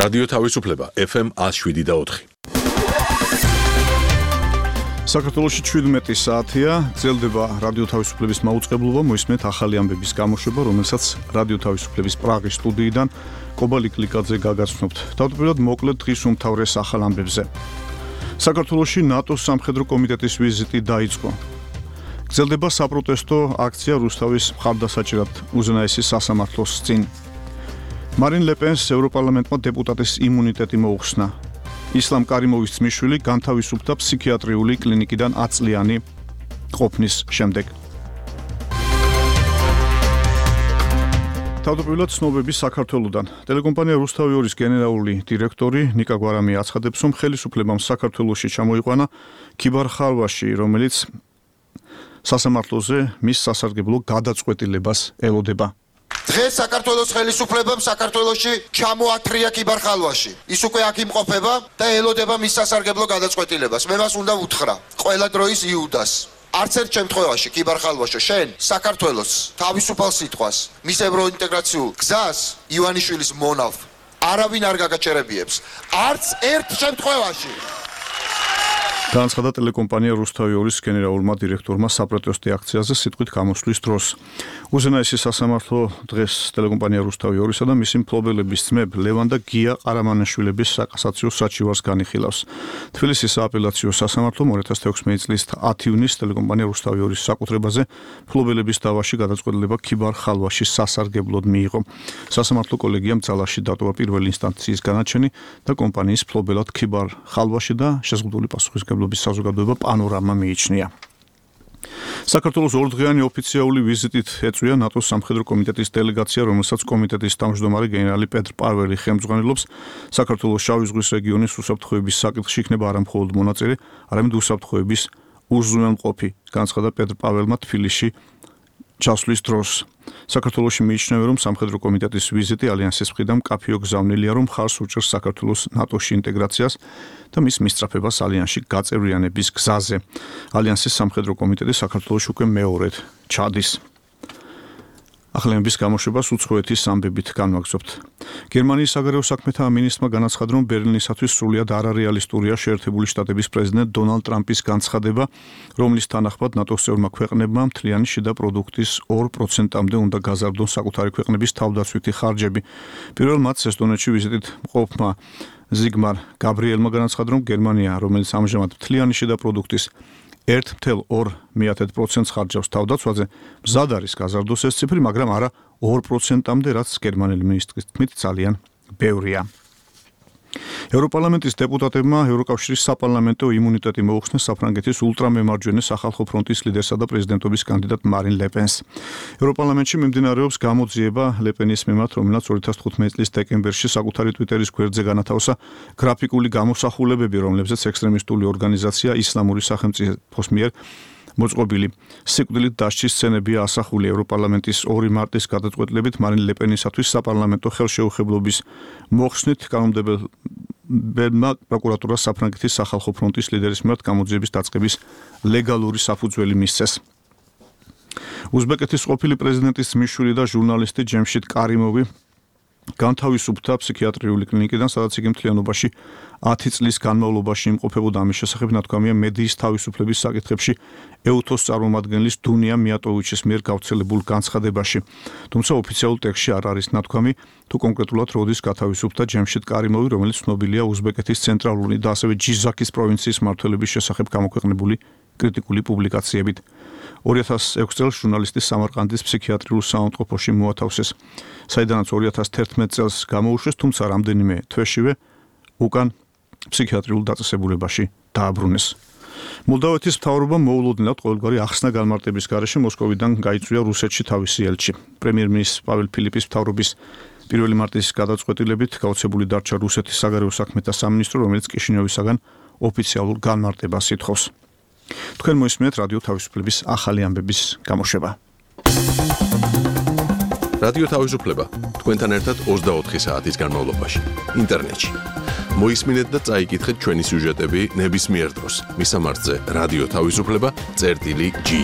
რადიო თავისუფლება FM 107.4. საქართველოში 17 საათია, გრძელდება რადიო თავისუფლების მაუწყებლობა, მოისმენთ ახალი ამბების გამოშვება, რომელსაც რადიო თავისუფლების პრაღის სტუდიიდან კობალი კლიკაძე გაგაცნობთ. თავდაპირველად მოკლედ დღის უმთავრეს ახალ ამბებზე. საქართველოში ნატოს სამხედრო კომიტეტის ვიზიტი დაიწყო. გრძელდება საპროტესტო აქცია რუსთავის მხარდასაჭერად უზენაესი სასამართლოს წინ. მარინ ლე-პენს ევროპარლამენტმა დეპუტატის იმუნიტეტი მოუხსნა. ისლამ კარიმოვის ძმისშვილი განთავისუფლდა ფსიქიატრიული კლინიკიდან 10 წლიანი ყოფნის შემდეგ. თავდაპირველად ცნობები საქართველოდან. ტელეკომპანია რუსთავი 2-ის გენერალური დირექტორი ნიკა გვარამი აცხადებს, რომ ხელისუფლებამ საქართველოში ჩამოიყვანა ქიბარ ხალვაში, რომელიც სასამართლოზე მის სასარგებლო გადაწყვეტილებას ელოდება. დღეს საქართველოს ხელისუფლებამ საქართველოში ჩამოათრია ქიბარ ხალვაში. ის უკვე აქ იმყოფება და ელოდება მის სასარგებლო გადაწყვეტილებას. მე მას უნდა უთხრა, ყველა დროის იუდას. არც ერთ შემთხვევაში ქიბარ ხალვაშო, შენ საქართველოს თავისუფალ სიტყვას, მის ევროინტეგრაციულ გზას ივანიშვილის მონავ არავინ არ გაგაჩერებიებს. არც ერთ შემთხვევაში. განაცხადა ტელეკომპანია რუსთავი 2-ის გენერალურმა დირექტორმა საპროტესტო აქციაზე სიტყვით გამოსვლის დროს. უზენაესი სასამართლო დღეს ტელეკომპანია რუსთავი 2-ისა და მისი მფლობელების ძმებ ლევან და გია ყარამანაშვილების საკასაციო საჩივარს განიხილავს. თბილისის სააპელაციო სასამართლომ 2016 წლის 10 ივნისს ტელეკომპანია რუსთავი 2-ის საკუთრებაზე მფლობელების დავაში გადაწყვეტილება ქიბარ ხალვაში სასარგებლოდ მიიღო. სასამართლო კოლეგიამ ძალაში დატოვა პირველი ინსტანციის განაჩენი და კომპანიის მფლობელად ქიბარ ხალვაში და შეზღუდული პასუხისმგებლობის საზოგადოება პანორამა მიიჩნია. საქართველოს ორდღიანი ოფიციალური ვიზიტით ეწვია ნატოს სამხედრო კომიტეტის დელეგაცია, რომელსაც კომიტეტის თავმჯდომარე გენერალი პეტრ პარველი ხელმძღვანელობს. საქართველოს შავი ზღვის რეგიონის უსაფრთხოების საკითხში იქნება არა მხოლოდ მონაწილე, არამედ უსაფრთხოების უზრუნველმყოფი, განაცხადა პეტრ პარველმა თბილისში ჩასვლის დროს. საქართველოში მიიჩნევა, რომ სამხედრო კომიტეტის ვიზიტი ალიანსის მხრიდან მკაფიო გზავნილია, რომ მხარს უჭერს საქართველოს ნატოში ინტეგრაციას და მის მისწრაფებას ალიანსში გაწევრიანების გზაზე. ალიანსის სამხედრო კომიტეტი საქართველოში უკვე მეორედ ჩადის. ახალების გამოშვებას უცხოეთის ამბებით განვაგრძობთ. გერმანიის საგარეო საქმეთა მინისტრმა განაცხადა, რომ ბერლინისათვის სრულიად არარეალისტურია შეერთებული შტატების პრეზიდენტ დონალდ ტრამპის განცხადება, რომლის თანახმად ნატოს წევრმა ქვეყნებმა მთლიანი შიდა პროდუქტის 2%-მდე უნდა გაზარდონ საკუთარი ქვეყნების თავდაცვითი ხარჯები. პირველ მატჩს ესტონეთში ვიზიტით მყოფმა ზიგმარ გაბრიელმა განაცხადა, რომ გერმანია, რომელიც ამჟამად მთლიანი შიდა პროდუქტის 1,2% ხარჯავს თავდაცვაზე, მზად არის გაზარდოს ეს ციფრი, მაგრამ არა 2%-მდე, რაც გერმანელი მინისტრის თქმით ძალიან ბევრია. ევროპარლამენტის დეპუტატებმა ევროკავშირის საპარლამენტო იმუნიტეტი მოუხსნეს საფრანგეთის ულტრამემარჯვენე სახალხო ფრონტის ლიდერსა და პრეზიდენტობის კანდიდატ მარინ ლე-პენს. ევროპარლამენტში მიმდინარეობს გამოძიება ლე-პენის მიმართ, რომელსაც 2015 წლის დეკემბერში საკუთარი ტვიტერის გვერდზე განათავსა გრაფიკული გამოსახულებები, რომლებზეც ექსტრემისტული ორგანიზაცია ისლამური სახელმწიფოს მიერ მოწყობილი სიკვდილით დასჯის სცენებია ასახული. ევროპარლამენტის 2 მარტის გადაწყვეტილებით მარინ ლე-პენისათვის საპარლამენტო ხელშეუხებლობის მოხსნით კანონმდებელმა პროკურატურას საფრანგეთის სახალხო ფრონტის ლიდერის მიმართ გამოძიების დაწყების ლეგალური საფუძველი მისცეს. უზბეკეთის ყოფილი პრეზიდენტის ძმისშვილი და ჟურნალისტი ჯემშიდ კარიმოვი განთავისუფლდა ფსიქიატრიული კლინიკიდან, სადაც იგი მთლიანობაში 10 წლის განმავლობაში იმყოფებოდა. ამის შესახებ ნათქვამია მედიის თავისუფლების საკითხებში ეუთოს წარმომადგენლის დუნია მიატოვიჩის მიერ გავრცელებულ განცხადებაში. თუმცა ოფიციალურ ტექსტში არ არის ნათქვამი, თუ კონკრეტულად როდის გათავისუფლდა ჯემშიდ კარიმოვი, რომელიც ცნობილია უზბეკეთის ცენტრალური და ასევე ჯიზაქის პროვინციის მმართველობის შესახებ გამოქვეყნებული კრიტიკული პუბლიკაციებით. 2006 წელს ჟურნალისტი სამარყანდის ფსიქიატრიულ საავადმყოფოში მოათავსეს, საიდანაც 2011 წელს გამოუშვეს, თუმცა რამდენიმე თვეშივე უკან ფსიქიატრიულ დაწესებულებაში დააბრუნეს. მოლდოვეთის მთავრობამ მოულოდნელად ყოველგვარი ახსნა განმარტების გარეშე მოსკოვიდან გაიწვია რუსეთში თავისი ელჩი. პრემიერ-მინისტრის პაվել ფილიპის მთავრობის 1 მარტის გადაწყვეტილებით გაუცებული დარჩა რუსეთის საგარეო საქმეთა სამინისტრო, რომელიც კიშინიოვისაგან ოფიციალურ განმარტებას ითხოვს. თქვენ მოისმენთ რადიო თავისუფლების ახალი ამბების გამოშვება. რადიო თავისუფლება თქვენთან ერთად 24 საათის განმავლობაში ინტერნეტში. მოისმინეთ და წაიკითხეთ ჩვენი სიუჟეტები ნებისმიერ დროს. მისამართზე რადიო თავისუფლება.gi